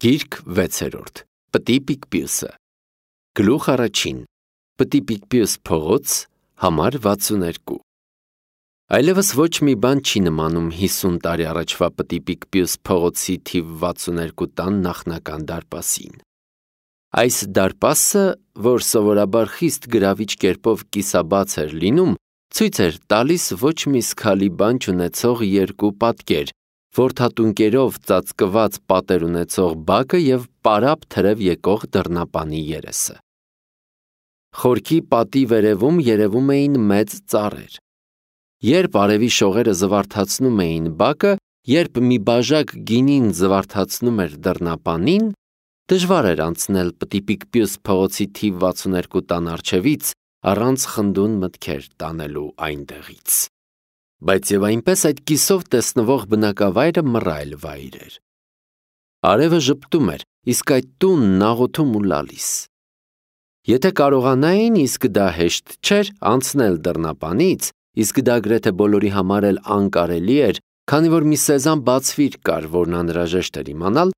Գիրք 6-րդ Պտի Պիկպյուսը Գլուխ առաջին Պտի Պիկպյուս փողոց համար 62 Այլևս ոչ մի բան չի նմանում 50 տարի առաջվա Պտի Պիկպյուս փողոցի թիվ 62 տան նախնական դարպասին։ Այս դարպասը, որ սովորաբար խիստ գրավիչ կերպով կիսաբաց էր լինում, ցույց էր տալիս ոչ մի սքալի բան չունեցող երկու պատկեր, որդատունկերով ծածկված պատեր ունեցող բակը և պարապ թրև եկող դռնապանի երեսը։ Խորքի պատի վերևում երևում էին մեծ ծառեր։ Երբ արևի շողերը զվարթացնում էին բակը, երբ մի բաժակ գինին զվարթացնում էր դռնապանին, դժվար էր անցնել Պտի Պիկպյուս փողոցի թիվ 62 տան առջևից առանց խնդուն մտքեր տանելու այնտեղից։ Բայց և այնպես այդ կիսով տեսնվող բնակավայրը մռայլ վայր էր։ Արևը ժպտում էր, իսկ այդ տունն աղոթում ու լալիս։ Եթե կարողանային, իսկ դա հեշտ չէր, անցնել դռնապանից, իսկ դա գրեթե բոլորի համար էլ անկարելի էր, քանի որ մի սեզան բացվիր կար, որն անհրաժեշտ էր իմանալ,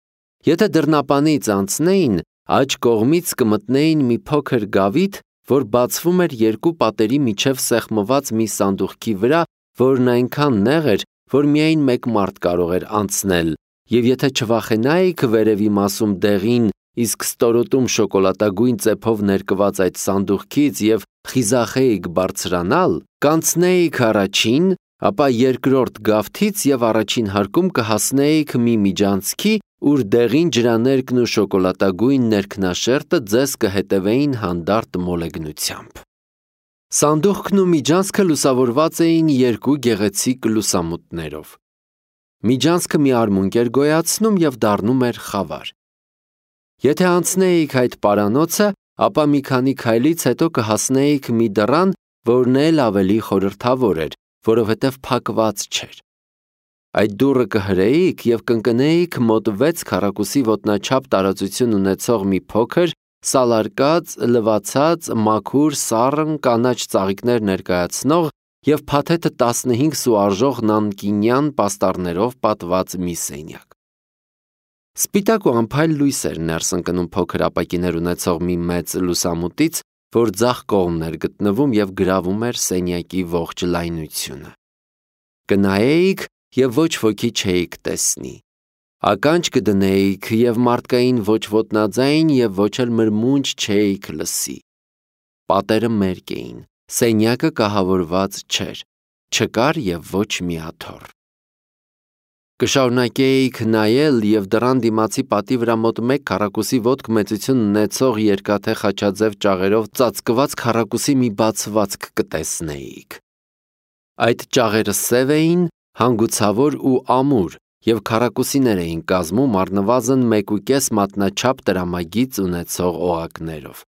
եթե դռնապանից անցնեին, աջ կողմից կմտնեին մի փոքր գավիթ, որ բացվում էր երկու պատերի միջև սեղմված մի սանդուղքի վրա, որն այնքան նեղ էր, որ միայն մեկ մարդ կարող էր անցնել, և եթե չվախենայիք վերևի մասում դեղին, իսկ ստորոտում շոկոլադագույն ծեփով ներկված այդ սանդուղքից և խիզախեիք բարձրանալ, կանցնեիք առաջին, ապա երկրորդ գավթից և առաջին հարկում կհասնեիք մի միջանցքի, ուր դեղին ջրաներկն ու շոկոլադագույն ներքնաշերտը ձեզ կհետևեին հանդարտ մոլեգնությամբ։ Սանդուղքն ու միջանցքը լուսավորված էին երկու գեղեցիկ լուսամուտներով։ Միջանցքը մի արմունկ էր գոյացնում և դառնում էր խավար։ Եթե անցնեիք այդ պարանոցը, ապա մի քանի քայլից հետո կհասնեիք մի դռան, որն էլ ավելի խորհրդավոր էր, որովհետև փակված չէր։ Այդ դուռը կհրեիք և կընկնեիք մոտ 6 քառակուսի ոտնաչափ տարածություն ունեցող մի փոքր, սալարկած, լվացած, մաքուր, սառն, կանաչ ծաղիկներ ներկայացնող և փաթեթը 15 սու արժող նանկինյան պաստառներով պատված մի սենյակ։ Սպիտակ ու անփայլ լույս էր ներս ընկնում փոքր ապակիներ ունեցող մի մեծ լուսամուտից, որ ձախ կողմն էր գտնվում և գրավում էր սենյակի ողջ լայնությունը։ Կնայեիք և ոչ ոքի չէիք տեսնի։ Ականջ կդնեիք և մարդկային ոչ ոտնաձայն և ոչ էլ մրմունջ չէիք լսի։ Պատերը մերկ էին, սենյակը կահավորված չէր, չկար և ոչ մի աթոռ։ Կշարունակեիք նայել և դռան դիմացի պատի վրա մոտ 1 քառակուսի ոտք մեծություն ունեցող երկաթե խաչաձև ճաղերով ծածկված քառակուսի մի բացվածք կտեսնեիք։ Այդ ճաղերը սև էին, հանգուցավոր ու ամուր և քառակուսիներ էին կազմում առնվազն 1.5 մատնաչափ տրամագիծ ունեցող օղակներով։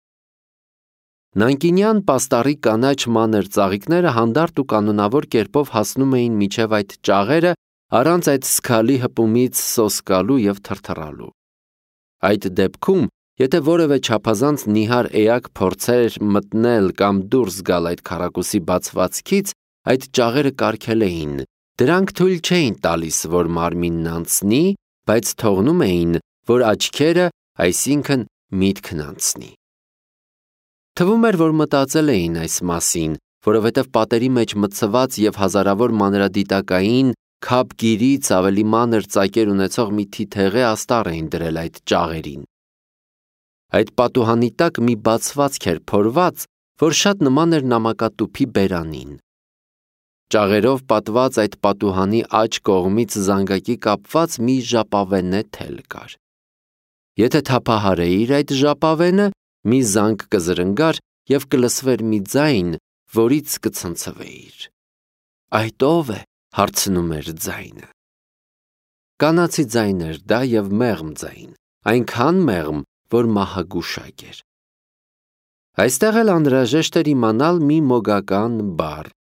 Նանկինյան պաստառի կանաչ մանր ծաղիկները հանդարտ ու կանոնավոր կերպով հասնում էին մինչև այդ ճաղերը առանց այդ սքալի հպումից սոսկալու և թրթռալու։ Այդ դեպքում, եթե որևէ չափազանց նիհար էակ փորձեր մտնել կամ դուրս գալ այդ քառակուսի բացվածքից, այդ ճաղերը կարգել էին, դրանք թույլ չէին տալիս, որ մարմինն անցնի, բայց թողնում էին, որ աչքերը, այսինքն միտքն անցնի։ Թվում էր, որ մտածել էին այս մասին, որովհետև պատերի մեջ մտցված և հազարավոր մանրադիտակային, քափգիրից ավելի մանր ծակեր ունեցող մի թիթեղե աստառ էին դրել այդ ճաղերին։ Այդ պատուհանի տակ մի բացվածք էր փորված, որ շատ նման էր նամակատուփի բերանին։ Ճաղերով պատված այդ պատուհանի աջ կողմից զանգակի կապված մի ժապավենե թել կար։ Եթե թափահարեիր այդ ժապավենը, մի զանգ կզրնգար և կլսվեր մի ձայն, որից կցնցվեիր։ Այդ ո՞վ է, հարցնում էր ձայնը։ Կանացի ձայն էր դա և մեղմ ձայն, այնքան մեղմ, որ մահագուշակ էր։ Այստեղ էլ անհրաժեշտ էր իմանալ մի մոգական բառ։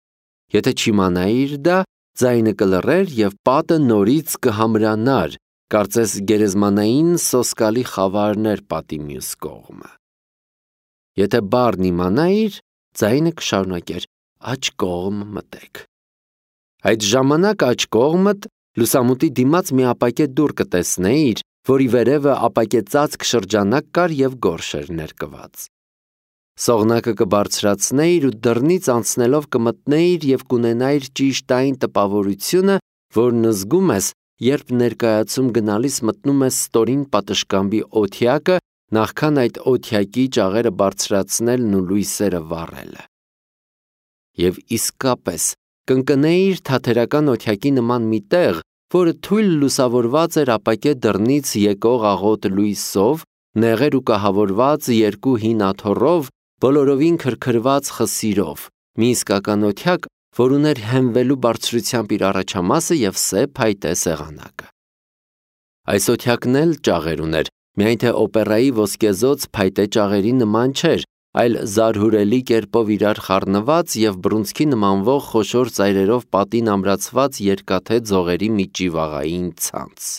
Եթե չիմանայիր դա, ձայնը կլռեր և պատը նորից կհամրանար, կարծես գերեզմանային սոսկալի խավարն էր պատի մյուս կողմը։ Եթե բառն իմանայիր, ձայնը կշարունակեր. «Աջ կողմ մտեք»։ Այդ ժամանակ աջ կողմդ լուսամուտի դիմաց մի ապակե դուռ կտեսնեիր, որի վերևը ապակեցածք շրջանակ կար և գորշ էր ներկված։ Սողնակը կբարձրացնեիր ու դռնից անցնելով կմտնեիր և կունենայիր ճիշտ այն տպավորությունը, որն զգում ես, երբ ներկայացում գնալիս մտնում ես ստորին պատշգամբի օթյակը, նախքան այդ օթյակի ճաղերը բարձրացնելն ու լույսերը վառելը։ Եվ իսկապես կընկնեիր թաթերական օթյակի նման մի տեղ, որը թույլ լուսավորված էր ապակե դռնից եկող աղոտ լույսով, նեղեր ու կահավորված երկու հին աթոռով, բոլորովին քրքրված խսիրով, մի իսկական օթյակ, որ ուներ հենվելու բարձրությամբ իր առաջամասը և սև փայտե սեղանակը։ Այս օթյակն էլ ճաղեր ուներ, միայն թե օպերայի ոսկեզօծ փայտե ճաղերի նման չէր, այլ զարհուրելի կերպով իրար խառնված և բռունցքի նմանվող խոշոր ծայրերով պատին ամրացված երկաթե ձողերի մի ճիվաղային ցանց։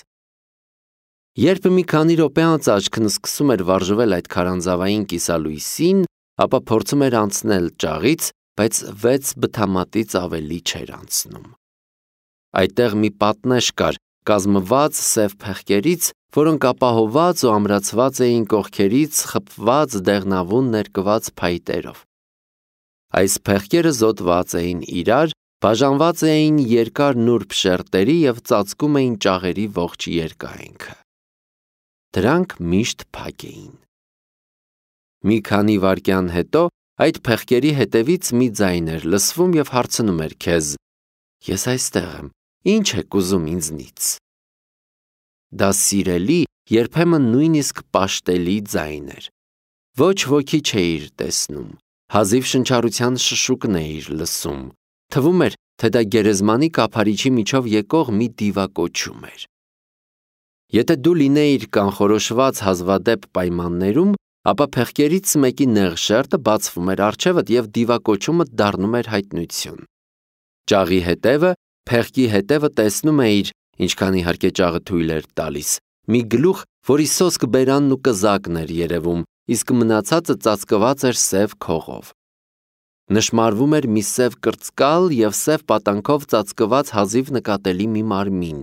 Երբ մի քանի րոպե անց աչքն սկսում էր վարժվել այդ քարանձավային կիսալույսին, ապա փորձում էր անցնել ճաղից, բայց 6 բթամատից ավելի չէր անցնում։ Այդտեղ մի պատնեշ կար, կազմված սև փեղկերից, որոնք ապահովված ու ամրացված էին կողքերից խփված դեղնավուն ներկված փայտերով։ Այս փեղկերը զոտված էին իրար, բաժանված էին երկար նուրբ շերտերի և ծածկում էին ճաղերի ողջ երկայնքը։ Դրանք միշտ փակ էին։ Մի քանի վայրկյան հետո այդ փեղկերի հետևից մի ձայն էր լսվում և հարցնում էր քեզ. «Ես այստեղ եմ, ինչ եք ուզում ինձնից»։ Դա սիրելի, երբեմն նույնիսկ պաշտելի ձայն էր։ Ոչ ոքի չէիր տեսնում, հազիվ շնչառության շշուկն էիր լսում, թվում էր, թե դա գերեզմանի կափարիչի միջով եկող մի դիվակոչում էր։ Եթե դու լինեիր կանխորոշված հազվադեպ պայմաններում, ապա փեղկերից մեկի նեղ շերտը բացվում էր առջևդ և դիվակոչումը դառնում էր հայտնություն։ Ճաղի հետևը, փեղկի հետևը տեսնում էիր, ինչքան իհարկե ճաղը թույլ էր տալիս, մի գլուխ, որի սոսկ բերանն ու կզակն էր երևում, իսկ մնացածը ծածկված էր սև քողով։ Նշմարվում էր մի սև կրծկալ և սև պատանքով ծածկված հազիվ նկատելի մի մարմին։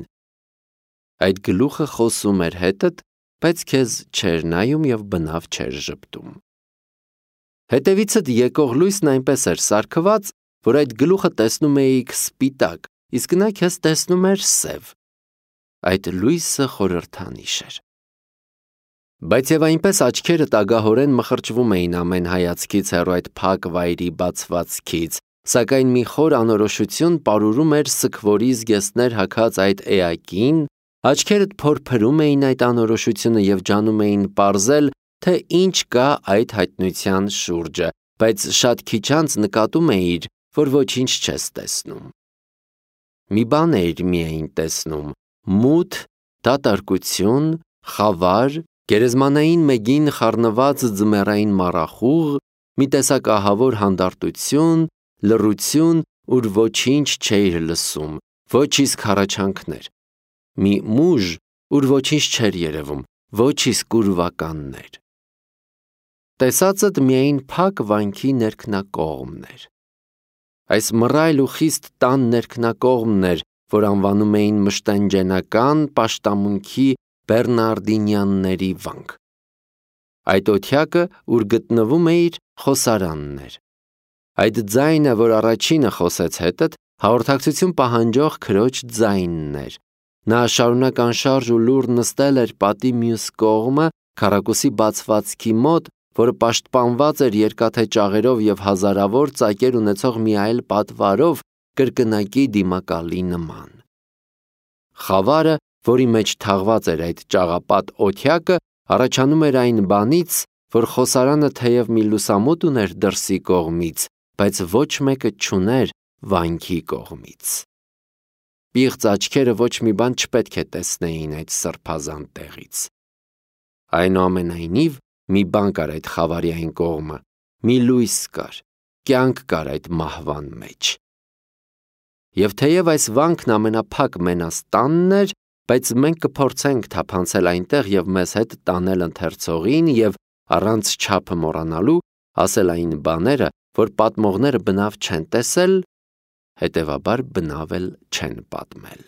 Այդ գլուխը խոսում էր հետդ, բայց քեզ չէր նայում և բնավ չէր ժպտում։ Հետևիցդ եկող լույսն այնպես էր սարքված, որ այդ գլուխը տեսնում էիք սպիտակ, իսկ նա քեզ տեսնում էր սև։ Այդ լույսը խորհրդանիշ էր։ Բայց և այնպես աչքերդ ագահորեն մխրճվում էին ամեն հայացքից հեռու այդ փակ վայրի բացվածքից, սակայն մի խոր անորոշություն պարուրում էր սգվորի զգեստներ հագած այդ էակին, աչքերդ փորփրում էին այդ անորոշությունը և ջանում էին պարզել, թե ինչ կա այդ հայտնության շուրջը, բայց շատ քիչ անց նկատում էիր, որ ոչինչ չես տեսնում։ Մի բան էիր միայն տեսնում՝ մութ, դատարկություն, խավար, գերեզմանային մեգին խառնված ձմեռային մառախուղ, մի տեսակ ահավոր հանդարտություն, լռություն, ուր ոչինչ չէիր լսում, ոչ իսկ հառաչանքներ, մի մուժ, ուր ոչինչ չէր երևում, ոչ իսկ ուրվականներ։ Տեսածդ միայն փակ վանքի ներքնակողմն էր։ Այս մռայլ ու խիստ տան ներքնակողմն էր, որ անվանում էին մշտանջենական պաշտամունքի բեռնարդինյանների վանք։ Այդ օթյակը, ուր գտնվում էիր, խոսարանն էր։ Այդ ձայնը, որ առաջինը խոսեց հետդ, հաղորդակցություն պահանջող քրոջ ձայնն էր։ Նա շարունակ անշարժ ու լուռ նստել էր պատի մյուս կողմը, քառակուսի բացվածքի մոտ, որը պաշտպանված էր երկաթե ճաղերով և հազարավոր ծակեր ունեցող մի այլ պատվարով, կրկնակի դիմակալի նման։ Խավարը, որի մեջ թաղված էր այդ ճաղապատ օթյակը, առաջանում էր այն բանից, որ խոսարանը թեև մի լուսամուտ ուներ դրսի կողմից, բայց ոչ մեկը չուներ վանքի կողմից։ Պիղծ աչքերը ոչ մի բան չպետք է տեսնեին այդ սրբազան տեղից։ Այնուամենայնիվ, մի բան կար այդ խավարի այն կողմը, մի լույս կար, կյանք կար այդ մահվան մեջ։ Եվ թեև այս վանքն ամենափակ մենաստանն էր, բայց մենք կփորձենք թափանցել այնտեղ և մեզ հետ տանել ընթերցողին և առանց չափը մոռանալու ասել այն բաները, որ պատմողները բնավ չեն տեսել, հետևաբար բնավ էլ չեն պատմել։